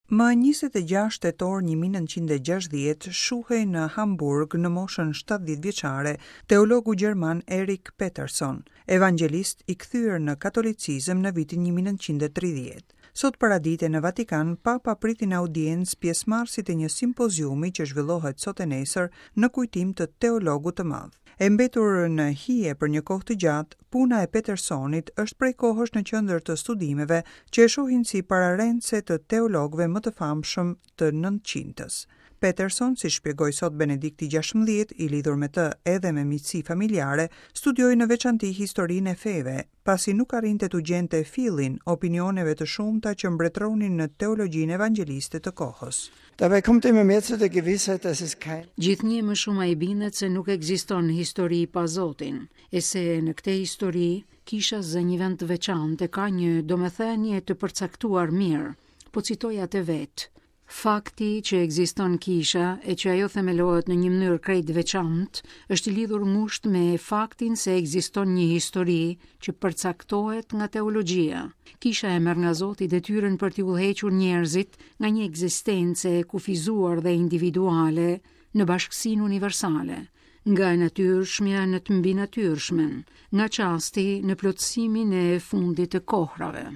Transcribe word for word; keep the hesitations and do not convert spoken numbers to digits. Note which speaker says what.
Speaker 1: Më njëzet e gjashtë tetor një mijë e nëntëqind e gjashtëdhjetë shuhej në Hamburg në moshën shtatëdhjetë vjeçare teologu gjerman Erik Peterson, evangelist i kthyer në katolicizëm në vitin një mijë e nëntëqind e tridhjetë. Sot paradite në Vatikan, Papa priti në audiencë pjesëmarrësit e një simpoziumi që zhvillohet sot e nesër në kujtim të teologut të madh. E mbetur në hije për një kohë të gjatë, puna e Petersonit është prej kohësh në qendër të studimeve që e shohin si pararendëse të teologëve më të famshëm të nëntëqindës. Peterson, si shpjegoi sot Benedikti gjashtëmbëdhjetë, i lidhur me të edhe me miqësi familjare, studioi në veçanti historinë e feve, pasi nuk arrinte t'u gjente fillin opinioneve të shumta që mbretëronin në teologjinë evangeliste të kohës.
Speaker 2: Dabei kommt immer mehr zu der Gewissheit, dass es kein
Speaker 3: Gjithnjë më shumë ai bindet se nuk ekziston histori pa Zotin, e se në këtë histori kisha zë një vend të veçantë e ka një domethënie të përcaktuar mirë. Po citoj atë vetë. Fakti që ekziston kisha e që ajo themelohet në një mënyrë krejt të veçantë është i lidhur ngushtë me faktin se ekziston një histori që përcaktohet nga teologjia. Kisha e merr nga Zoti detyrën për t'i udhëhequr njerëzit nga një ekzistencë e kufizuar dhe individuale në bashkësinë universale, nga e natyrshmja në të mbinatyrshmen, nga çasti në plotësimin e fundit të kohrave.